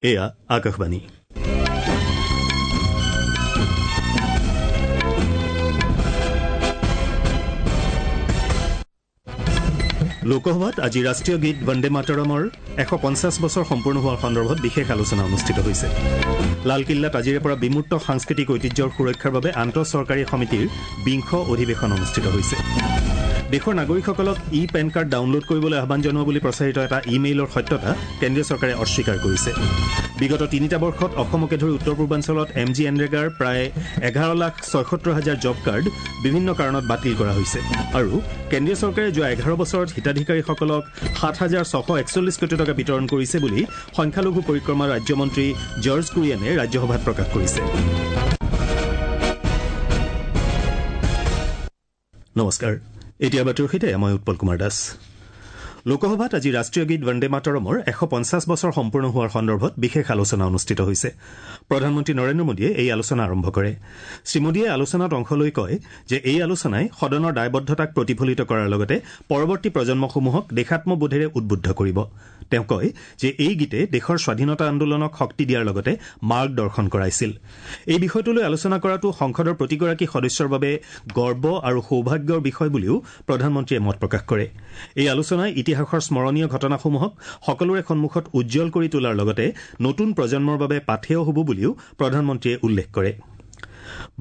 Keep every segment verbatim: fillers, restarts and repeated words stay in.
এয়া আকাশবাণী। লোকসভাত আজি ৰাষ্ট্ৰীয় গীত বন্দে মাতৰমৰ এশ পঞ্চাছ বছৰ সম্পূৰ্ণ হোৱাৰ সন্দৰ্ভত বিশেষ আলোচনা অনুষ্ঠিত হৈছে। লালকিল্লাত আজিৰে পৰা বিমূৰ্ত সাংস্কৃতিক ঐতিহ্যৰ সুৰক্ষাৰ বাবে আন্তঃচৰকাৰী সমিতিৰ বিংশ অধিৱেশন অনুষ্ঠিত হৈছে। দেশৰ নাগৰিকসকলক ই পেন কাৰ্ড ডাউনলোড কৰিবলৈ আহ্বান জনোৱা বুলি প্ৰচাৰিত এটা ই মেইলৰ সত্যতা কেন্দ্ৰীয় চৰকাৰে অস্বীকাৰ কৰিছে। বিগত তিনিটা বৰ্ষত অসমকে ধৰি উত্তৰ পূৰ্বাঞ্চলত এম জি এনৰেগাৰ প্ৰায় এঘাৰ লাখ ছয়সত্তৰ হাজাৰ জব কাৰ্ড বিভিন্ন কাৰণত বাতিল কৰা হৈছে আৰু কেন্দ্ৰীয় চৰকাৰে যোৱা এঘাৰ বছৰত হিতাধিকাৰীসকলক সাত হাজাৰ ছশ একচল্লিছ কোটি টকা বিতৰণ কৰিছে বুলি সংখ্যালঘু পৰিক্ৰমা ৰাজ্যমন্ত্ৰী জৰ্জ কুৰিয়ানে ৰাজ্যসভাত প্ৰকাশ কৰিছে। নমস্কাৰ, এতিয়া বাতৰিৰ সৈতে মই উৎপল কুমাৰ দাস। লোকসভাত আজি ৰাষ্ট্ৰীয় গীত বন্দে মাতৰমৰ এশ পঞ্চাছ বছৰ সম্পূৰ্ণ হোৱাৰ সন্দৰ্ভত বিশেষ আলোচনা অনুষ্ঠিত হৈছে। প্ৰধানমন্ত্ৰী নৰেন্দ্ৰ মোদীয়ে এই আলোচনা আৰম্ভ কৰে। শ্ৰীমোদীয়ে আলোচনাত অংশ লৈ কয় যে এই আলোচনাই সদনৰ দায়বদ্ধতাক প্ৰতিফলিত কৰাৰ লগতে পৰৱৰ্তী প্ৰজন্মসমূহক দেশাত্মবোধেৰে উদ্বুদ্ধ কৰিব। তেওঁ কয় যে এই গীতে দেশৰ স্বাধীনতা আন্দোলনক শক্তি দিয়াৰ লগতে মাৰ্গদৰ্শন কৰাইছিল। এই বিষয়টোলৈ আলোচনা কৰাটো সংসদৰ প্ৰতিগৰাকী সদস্যৰ বাবে গৰ্ব আৰু সৌভাগ্যৰ বিষয় বুলিও প্ৰধানমন্ত্ৰীয়ে মত প্ৰকাশ কৰে। এই আলোচনাই ইতিহাসৰ স্মৰণীয় ঘটনাসমূহক সকলোৰে সন্মুখত উজ্জ্বল কৰি তোলাৰ লগতে নতুন প্ৰজন্মৰ বাবে পাথেয় হ'ব বুলিও প্ৰধানমন্ত্ৰীয়ে উল্লেখ কৰে।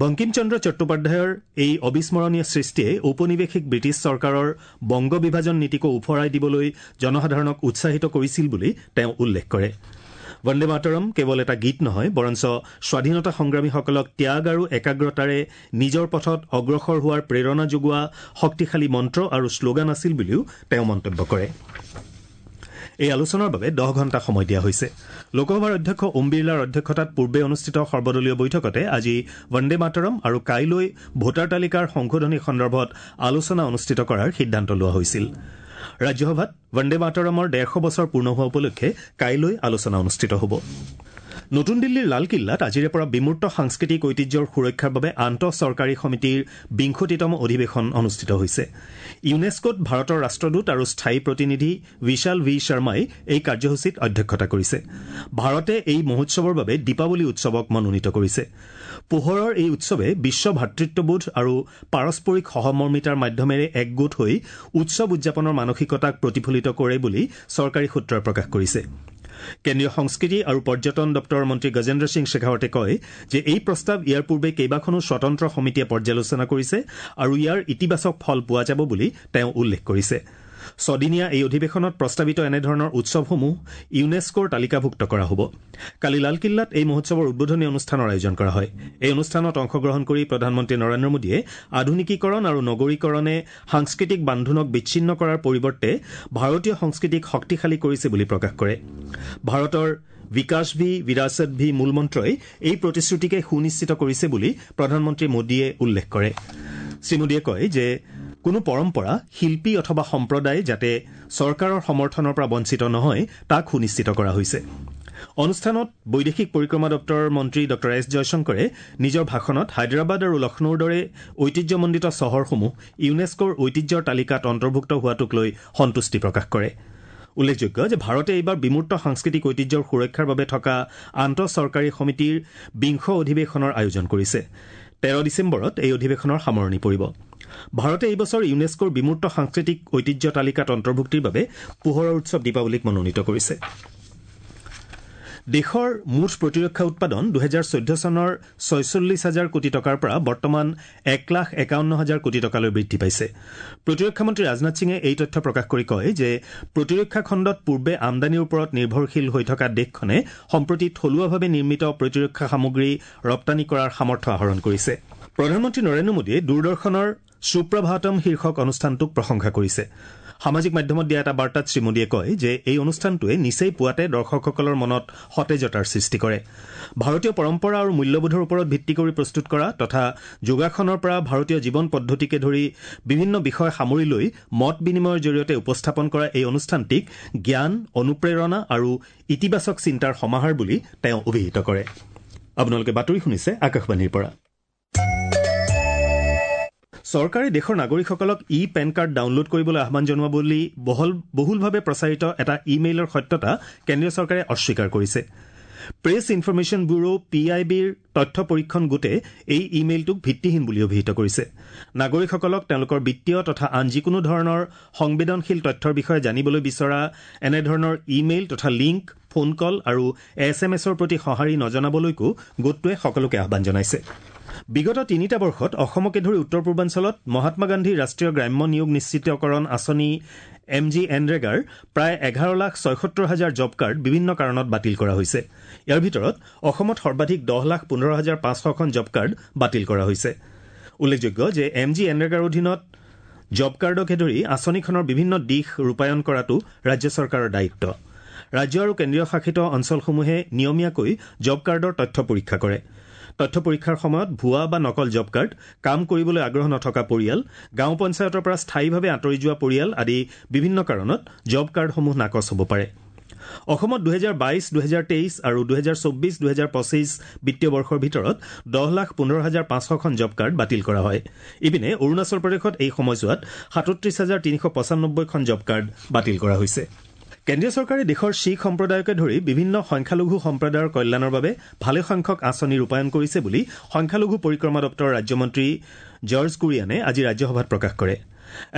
বংকিমচন্দ্ৰ চট্টোপাধ্যায়ৰ এই অবিস্মৰণীয় সৃষ্টিয়ে ঔপনিৱেশিক ব্ৰিটিছ চৰকাৰৰ বংগ বিভাজন নীতিকো উফৰাই দিবলৈ জনসাধাৰণক উৎসাহিত কৰিছিল বুলি তেওঁ উল্লেখ কৰে। বন্দে মাতৰম কেৱল এটা গীত নহয়, বৰঞ্চ স্বাধীনতা সংগ্ৰামীসকলক ত্যাগ আৰু একাগ্ৰতাৰে নিজৰ পথত অগ্ৰসৰ হোৱাৰ প্ৰেৰণা যোগোৱা শক্তিশালী মন্ত্ৰ আৰু শ্লোগান আছিল বুলিও তেওঁ মন্তব্য কৰে। এই আলোচনাৰ বাবে দহ ঘণ্টা সময় দিয়া হৈছে। লোকসভাৰ অধ্যক্ষ ওম বিৰলাৰ অধ্যক্ষতাত পূৰ্বে অনুষ্ঠিত সৰ্বদলীয় বৈঠকতে আজি বন্দে মাতৰম আৰু কাইলৈ ভোটাৰ তালিকাৰ সংশোধনী সন্দৰ্ভত আলোচনা অনুষ্ঠিত কৰাৰ সিদ্ধান্ত লোৱা হৈছিল। ৰাজ্যসভাত বন্দে মাতৰমৰ ডেৰশ বছৰ পূৰ্ণ হোৱা উপলক্ষে কাইলৈ আলোচনা অনুষ্ঠিত হ'ব। নতুন দিল্লীৰ লালকিল্লাত আজিৰে পৰা বিমূৰ্ত সাংস্কৃতিক ঐতিহ্যৰ সুৰক্ষাৰ বাবে আন্তঃচৰকাৰী সমিতিৰ বিংশতিতম অধিৱেশন অনুষ্ঠিত হৈছে। ইউনেস্কোত ভাৰতৰ ৰাষ্ট্ৰদূত আৰু স্থায়ী প্ৰতিনিধি বিশাল ভি শৰ্মাই এই কাৰ্যসূচীত অধ্যক্ষতা কৰিছে। ভাৰতে এই মহোৎসৱৰ বাবে দীপাৱলী উৎসৱক মনোনীত কৰিছে। পোহৰৰ এই উৎসৱে বিশ্ব ভাতৃত্ববোধ আৰু পাৰস্পৰিক সহমৰ্মিতাৰ মাধ্যমেৰে একগোট হৈ উৎসৱ উদযাপনৰ মানসিকতাক প্ৰতিফলিত কৰে বুলি চৰকাৰী সূত্ৰই প্ৰকাশ কৰিছে। কেন্দ্ৰীয় সংস্কৃতি আৰু পৰ্যটন দপ্তৰৰ মন্ত্ৰী গজেন্দ্ৰ সিং শেখাৱটে কয় যে এই প্ৰস্তাৱ ইয়াৰ পূৰ্বে কেইবাখনো স্বতন্ত্ৰ সমিতিয়ে পৰ্যালোচনা কৰিছে আৰু ইয়াৰ ইতিবাচক ফল পোৱা যাব বুলি তেওঁ উল্লেখ কৰিছে। ছদিনীয়া এই অধিৱেশনত প্ৰস্তাৱিত এনেধৰণৰ উৎসৱসমূহ ইউনেস্কোৰ তালিকাভুক্ত কৰা হ'ব। কালি লালকিল্লাত এই মহোৎসৱৰ উদ্বোধনী অনুষ্ঠানৰ আয়োজন কৰা হয়। এই অনুষ্ঠানত অংশগ্ৰহণ কৰি প্ৰধানমন্ত্ৰী নৰেন্দ্ৰ মোদীয়ে আধুনিকীকৰণ আৰু নগৰীকৰণে সাংস্কৃতিক বান্ধোনক বিচ্ছিন্ন কৰাৰ পৰিৱৰ্তে ভাৰতীয় সংস্কৃতিক শক্তিশালী কৰিছে বুলি প্ৰকাশ কৰে। ভাৰতৰ বিকাশ ভি বিৰাচত ভি মূলমন্ত্ৰই এই প্ৰতিশ্ৰুতিকে সুনিশ্চিত কৰিছে বুলি প্ৰধানমন্ত্ৰী মোদীয়ে উল্লেখ কৰে। শ্ৰীমোদীয়ে কয় যে কোনো পৰম্পৰা, শিল্পী অথবা সম্প্ৰদায় যাতে চৰকাৰৰ সমৰ্থনৰ পৰা বঞ্চিত নহয় তাক সুনিশ্চিত কৰা হৈছে। অনুষ্ঠানত বৈদেশিক পৰিক্ৰমা দপ্তৰৰ মন্ত্ৰী ডঃ এছ জয়শংকৰে নিজৰ ভাষণত হায়দৰাবাদ আৰু লক্ষ্ণৌৰ দৰে ঐতিহ্যমণ্ডিত চহৰসমূহ ইউনেস্কোৰ ঐতিহ্যৰ তালিকাত অন্তৰ্ভুক্ত হোৱাটোক লৈ সন্তুষ্টি প্ৰকাশ কৰে। উল্লেখযোগ্য যে ভাৰতে এইবাৰ বিমূৰ্ত সাংস্কৃতিক ঐতিহ্যৰ সুৰক্ষাৰ বাবে থকা আন্তঃচৰকাৰী সমিতিৰ বিংশ অধিৱেশনৰ আয়োজন কৰিছে। তেৰ ডিচেম্বৰত এই অধিৱেশনৰ সামৰণি পৰিব। ভাৰতে এই বছৰ ইউনেস্কোৰ বিমূৰ্ত সাংস্কৃতিক ঐতিহ্য তালিকাত অন্তৰ্ভুক্তিৰ বাবে পোহৰৰ উৎসৱ দীপাৱলীক মনোনীত কৰিছে। দেশৰ মুঠ প্ৰতিৰক্ষা উৎপাদন দুহেজাৰ চৈধ্য চনৰ ছয়চল্লিছ হাজাৰ কোটি টকাৰ পৰা বৰ্তমান এক লাখ একাৱন্ন হাজাৰ কোটি টকালৈ বৃদ্ধি পাইছে। প্ৰতিৰক্ষা মন্ত্ৰী ৰাজনাথ সিঙে এই তথ্য প্ৰকাশ কৰি কয় যে প্ৰতিৰক্ষা খণ্ডত পূৰ্বে আমদানিৰ ওপৰত নিৰ্ভৰশীল হৈ থকা দেশখনে সম্প্ৰতি থলুৱাভাৱে নিৰ্মিত প্ৰতিৰক্ষা সামগ্ৰী ৰপ্তানি কৰাৰ সামৰ্থ্য আহৰণ কৰিছে। প্ৰধানমন্ত্ৰী নৰেন্দ্ৰ মোদীয়ে দূৰদৰ্শনৰ সুপ্ৰভাতম শীৰ্ষক অনুষ্ঠানটোক প্ৰশংসা কৰিছে। সামাজিক মাধ্যমত দিয়া এটা বাৰ্তাত শ্ৰীমোদীয়ে কয় যে এই অনুষ্ঠানটোৱে নিচেই পুৱাতে দৰ্শকসকলৰ মনত সতেজতাৰ সৃষ্টি কৰে। ভাৰতীয় পৰম্পৰা আৰু মূল্যবোধৰ ওপৰত ভিত্তি কৰি প্ৰস্তুত কৰা তথা যোগাসনৰ পৰা ভাৰতীয় জীৱন পদ্ধতিকে ধৰি বিভিন্ন বিষয় সামৰি লৈ মত বিনিময়ৰ জৰিয়তে উপস্থাপন কৰা এই অনুষ্ঠানটিক জ্ঞান, অনুপ্ৰেৰণা আৰু ইতিবাচক চিন্তাৰ সমাহাৰ বুলি তেওঁ অভিহিত কৰে। আপোনালোকে বাতৰি শুনিছে আকাশবাণীৰ পৰা। চৰকাৰে দেশৰ নাগৰিকসকলক ই পেন কাৰ্ড ডাউনলোড কৰিবলৈ আহ্বান জনোৱা বুলি বহুলভাৱে প্ৰচাৰিত এটা ই মেইলৰ সত্যতা কেন্দ্ৰীয় চৰকাৰে অস্বীকাৰ কৰিছে। Press information bureau P আই বিৰ তথ্য পৰীক্ষণ গোটে এই ই মেইলটোক ভিত্তিহীন বুলি অভিহিত কৰিছে। নাগৰিকসকলক তেওঁলোকৰ বিত্তীয় তথা আন যিকোনো ধৰণৰ সংবেদনশীল তথ্যৰ বিষয়ে জানিবলৈ বিচৰা এনেধৰণৰ ই মেইল তথা লিংক, ফোন কল আৰু এছ এম এছৰ প্ৰতি সঁহাৰি নজনাবলৈকো গোটটোৱে সকলোকে আহ্বান জনাইছে। বিগত তিনিটা বৰ্ষত অসমকে ধৰি উত্তৰ পূৰ্বাঞ্চলত মহাত্মা গান্ধী ৰাষ্ট্ৰীয় গ্ৰাম্য নিয়োগ নিশ্চিতকৰণ আঁচনি এম জি এনৰেগাৰ প্ৰায় এঘাৰ লাখ ছয়সত্তৰ হাজাৰ জব কাৰ্ড বিভিন্ন কাৰণত বাতিল কৰা হৈছে। ইয়াৰ ভিতৰত অসমত সৰ্বাধিক দহ লাখ পোন্ধৰ হাজাৰ পাঁচশখন জব কাৰ্ড বাতিল কৰা হৈছে। উল্লেখযোগ্য যে এম জি এনৰেগাৰ অধীনত জব কাৰ্ডকে ধৰি আঁচনিখনৰ বিভিন্ন দিশ ৰূপায়ণ কৰাটো ৰাজ্য চৰকাৰৰ দায়িত্ব। ৰাজ্য আৰু কেন্দ্ৰীয় শাসিত অঞ্চলসমূহে নিয়মীয়াকৈ জব কাৰ্ডৰ তথ্য পৰীক্ষা কৰে। তথ্য পৰীক্ষাৰ সময়ত ভুৱা বা নকল জব কাৰ্ড, কাম কৰিবলৈ আগ্ৰহ নথকা পৰিয়াল, গাঁও পঞ্চায়তৰ পৰা স্থায়ীভাৱে আঁতৰি যোৱা পৰিয়াল আদি বিভিন্ন কাৰণত জব কাৰ্ডসমূহ নাকচ হ'ব পাৰে। অসমত দুহেজাৰ বাইছ দুহেজাৰ তেইছ আৰু দুহেজাৰ চৌব্বিছ দুহেজাৰ পঁচিছ বিত্তীয় বৰ্ষৰ ভিতৰত দহ লাখ পোন্ধৰ হাজাৰ পাঁচশখন জব কাৰ্ড বাতিল কৰা হয়। ইপিনে অৰুণাচল প্ৰদেশত এই সময়ছোৱাত সাতত্ৰিছ হাজাৰ তিনিশ পঁচানব্বৈখন জব কাৰ্ড বাতিল কৰা হৈছে। কেন্দ্ৰীয় চৰকাৰে দেশৰ শিখ সম্প্ৰদায়কে ধৰি বিভিন্ন সংখ্যালঘু সম্প্ৰদায়ৰ কল্যাণৰ বাবে ভালেসংখ্যক আঁচনি ৰূপায়ণ কৰিছে বুলি সংখ্যালঘু পৰিক্ৰমা দপ্তৰৰ ৰাজ্যমন্ত্ৰী জৰ্জ কুৰিয়ানে আজি ৰাজ্যসভাত প্ৰকাশ কৰে।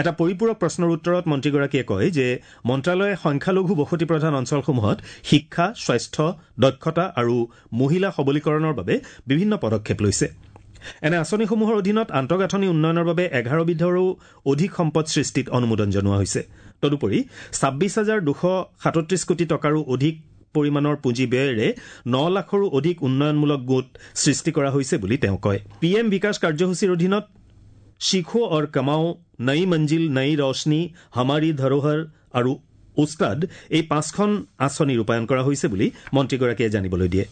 এটা পৰিপূৰক প্ৰশ্নৰ উত্তৰত মন্ত্ৰীগৰাকীয়ে কয় যে মন্ত্ৰালয়ে সংখ্যালঘু বসতিপ্ৰধান অঞ্চলসমূহত শিক্ষা, স্বাস্থ্য, দক্ষতা আৰু মহিলা সবলীকৰণৰ বাবে বিভিন্ন পদক্ষেপ লৈছে। এনে আঁচনিসমূহৰ অধীনত আন্তঃগাঁথনি উন্নয়নৰ বাবে এঘাৰবিধৰো অধিক সম্পদ সৃষ্টিত অনুমোদন জনোৱা হৈছে। তদুপৰি ছাব্বিছ হাজাৰ দুশ সাতত্ৰিছ কোটি টকাৰো অধিক পৰিমাণৰ পুঁজি ব্যয়েৰে ন লাখৰো অধিক উন্নয়নমূলক গোট সৃষ্টি কৰা হৈছে বুলি তেওঁ কয়। পি এম বিকাশ কাৰ্যসূচীৰ অধীনত শিখো অৰ কমাও, নয়ী মঞ্জিল নয়ী ৰোশনী, হামাৰী ধৰোহৰ আৰু ওস্তাদ এই পাঁচখন আঁচনি ৰূপায়ণ কৰা হৈছে বুলি মন্ত্ৰীগৰাকীয়ে জানিবলৈ দিয়ে।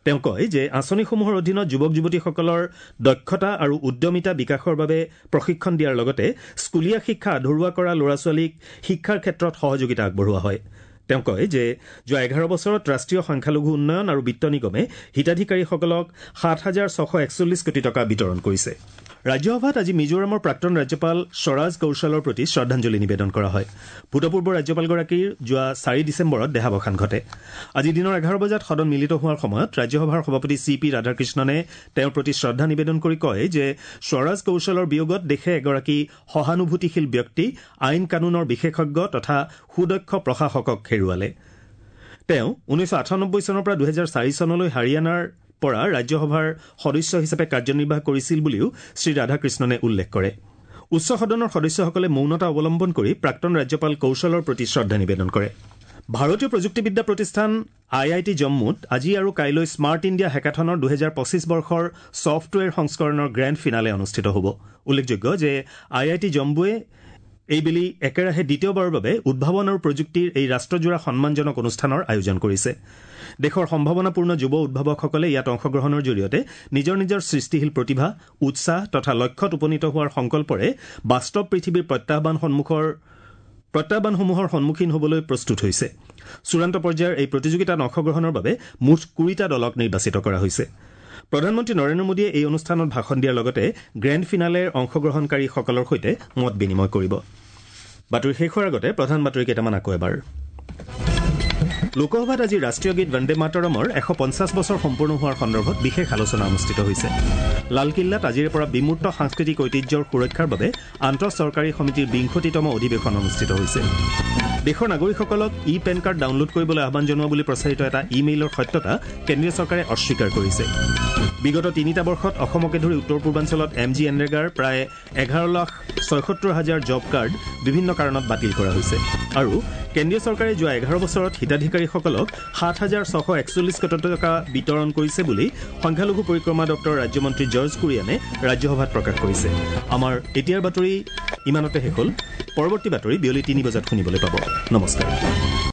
তেওঁ কয় যে আঁচনিসমূহৰ অধীনত যুৱক যুৱতীসকলৰ দক্ষতা আৰু উদ্যমিতা বিকাশৰ বাবে প্ৰশিক্ষণ দিয়াৰ লগতে স্কুলীয়া শিক্ষা আধৰুৱা কৰা ল'ৰা ছোৱালীক শিক্ষাৰ ক্ষেত্ৰত সহযোগিতা আগবঢ়োৱা হয়। তেওঁ কয় যে যোৱা এঘাৰ বছৰত ৰাষ্ট্ৰীয় সংখ্যালঘু উন্নয়ন আৰু বিত্ত নিগমে হিতাধিকাৰীসকলক সাত হাজাৰ ছশ একচল্লিছ কোটি টকা বিতৰণ কৰিছে। ৰাজ্যসভাত আজি মিজোৰামৰ প্ৰাক্তন ৰাজ্যপাল স্বৰাজ কৌশলৰ প্ৰতি শ্ৰদ্ধাঞ্জলি নিবেদন কৰা হয়। ভূতপূৰ্ব ৰাজ্যপালগৰাকীৰ যোৱা চাৰি ডিচেম্বৰত দেহাৱসান ঘটে। আজি দিনৰ এঘাৰ বজাত সদন মিলিত হোৱাৰ সময়ত ৰাজ্যসভাৰ সভাপতি চি পি ৰাধাকৃষ্ণনে তেওঁৰ প্ৰতি শ্ৰদ্ধা নিবেদন কৰি কয় যে স্বৰাজ কৌশলৰ বিয়োগত দেশে এগৰাকী সহানুভূতিশীল ব্যক্তি, আইন কানুনৰ বিশেষজ্ঞ তথা সুদক্ষ প্ৰশাসকক হেৰুৱালে। তেওঁ ঊনৈছশ আঠানব্বৈ চনৰ পৰা দুহেজাৰ চাৰি চনলৈ হাৰিয়ানাৰ পৰা ৰাজ্যসভাৰ সদস্য হিচাপে কাৰ্যনিৰ্বাহ কৰিছিল বুলিও শ্ৰীৰাধাকৃষ্ণনে উল্লেখ কৰে। উচ্চ সদনৰ সদস্যসকলে মৌনতা অৱলম্বন কৰি প্ৰাক্তন ৰাজ্যপাল কৌশলৰ প্ৰতি শ্ৰদ্ধা নিবেদন কৰে। ভাৰতীয় প্ৰযুক্তিবিদ্যা প্ৰতিষ্ঠান আই I T জম্মুত আজি আৰু কাইলৈ স্মাৰ্ট ইণ্ডিয়া হেকাথনৰ দুহেজাৰ পঁচিছ বৰ্ষৰ ছফ্টৱেৰ সংস্কৰণৰ গ্ৰেণ্ড ফিনালে অনুষ্ঠিত হ'ব। উল্লেখযোগ্য যে আই I T জম্মুৱে এইবেলি একেৰাহে দ্বিতীয়বাৰৰ বাবে উদ্ভাৱন আৰু প্ৰযুক্তিৰ এই ৰাষ্ট্ৰজোৰা সন্মানজনক অনুষ্ঠানৰ আয়োজন কৰিছে। দেশৰ সম্ভাৱনাপূৰ্ণ যুৱ উদ্ভাৱকসকলে ইয়াত অংশগ্ৰহণৰ জৰিয়তে নিজৰ নিজৰ সৃষ্টিশীল প্ৰতিভা, উৎসাহ তথা লক্ষ্যত উপনীত হোৱাৰ সংকল্পৰে বাস্তৱ পৃথিৱীৰ প্ৰত্যাহ্বান সন্মুখৰ প্ৰত্যাহ্বানসমূহৰ সন্মুখীন হ'বলৈ প্ৰস্তুত হৈছে। চূড়ান্ত পৰ্যায়ৰ এই প্ৰতিযোগিতাত অংশগ্ৰহণৰ বাবে মুঠ কুৰিটা দলক নিৰ্বাচিত কৰা হৈছে। প্ৰধানমন্ত্ৰী নৰেন্দ্ৰ মোদীয়ে এই অনুষ্ঠানত ভাষণ দিয়াৰ লগতে গ্ৰেণ্ড ফিনালেৰ অংশগ্ৰহণকাৰীসকলৰ সৈতে মত বিনিময় কৰিব। বাতৰি শেষ হোৱাৰ আগতে প্ৰধান বাতৰি কেইটামান আকৌ এবাৰ। লোকসভাত আজি ৰাষ্ট্ৰীয় গীত বন্দে মাতৰমৰ এশ পঞ্চাছ বছৰ সম্পূৰ্ণ হোৱাৰ সন্দৰ্ভত বিশেষ আলোচনা অনুষ্ঠিত হৈছে। লালকিল্লাত আজিৰে পৰা বিমূৰ্ত সাংস্কৃতিক ঐতিহ্যৰ সুৰক্ষাৰ বাবে আন্তঃচৰকাৰী সমিতিৰ বিংশতিতম অধিৱেশন অনুষ্ঠিত হৈছে। দেশৰ নাগৰিকসকলক ই পেন কাৰ্ড ডাউনলোড কৰিবলৈ আহ্বান জনোৱা বুলি প্ৰচাৰিত এটা ই মেইলৰ সত্যতা কেন্দ্ৰীয় চৰকাৰে অস্বীকাৰ কৰিছে। বিগত তিনিটা বৰ্ষত অসমকে ধৰি উত্তৰ পূৰ্বাঞ্চলত এম জি এনৰেগাৰ প্ৰায় এঘাৰ লাখ ছয়সত্তৰ হাজাৰ জব কাৰ্ড বিভিন্ন কাৰণত বাতিল কৰা হৈছে। আৰু কেন্দ্ৰীয় চৰকাৰে যোৱা এঘাৰ বছৰত হিতাধিকাৰীসকলক সাত হাজাৰ ছশ একচল্লিছ কোটি টকা বিতৰণ কৰিছে বুলি সংখ্যালঘু পৰিক্ৰমা দপ্তৰৰ ৰাজ্যমন্ত্ৰী জৰ্জ কুৰিয়ানে ৰাজ্যসভাত প্ৰকাশ কৰিছে। আমাৰ এতিয়াৰ বাতৰি ইমানতে শেষ হ'ল। পৰৱৰ্তী বাতৰি বিয়লি তিনি বজাত শুনিবলৈ পাব। নমস্কাৰ।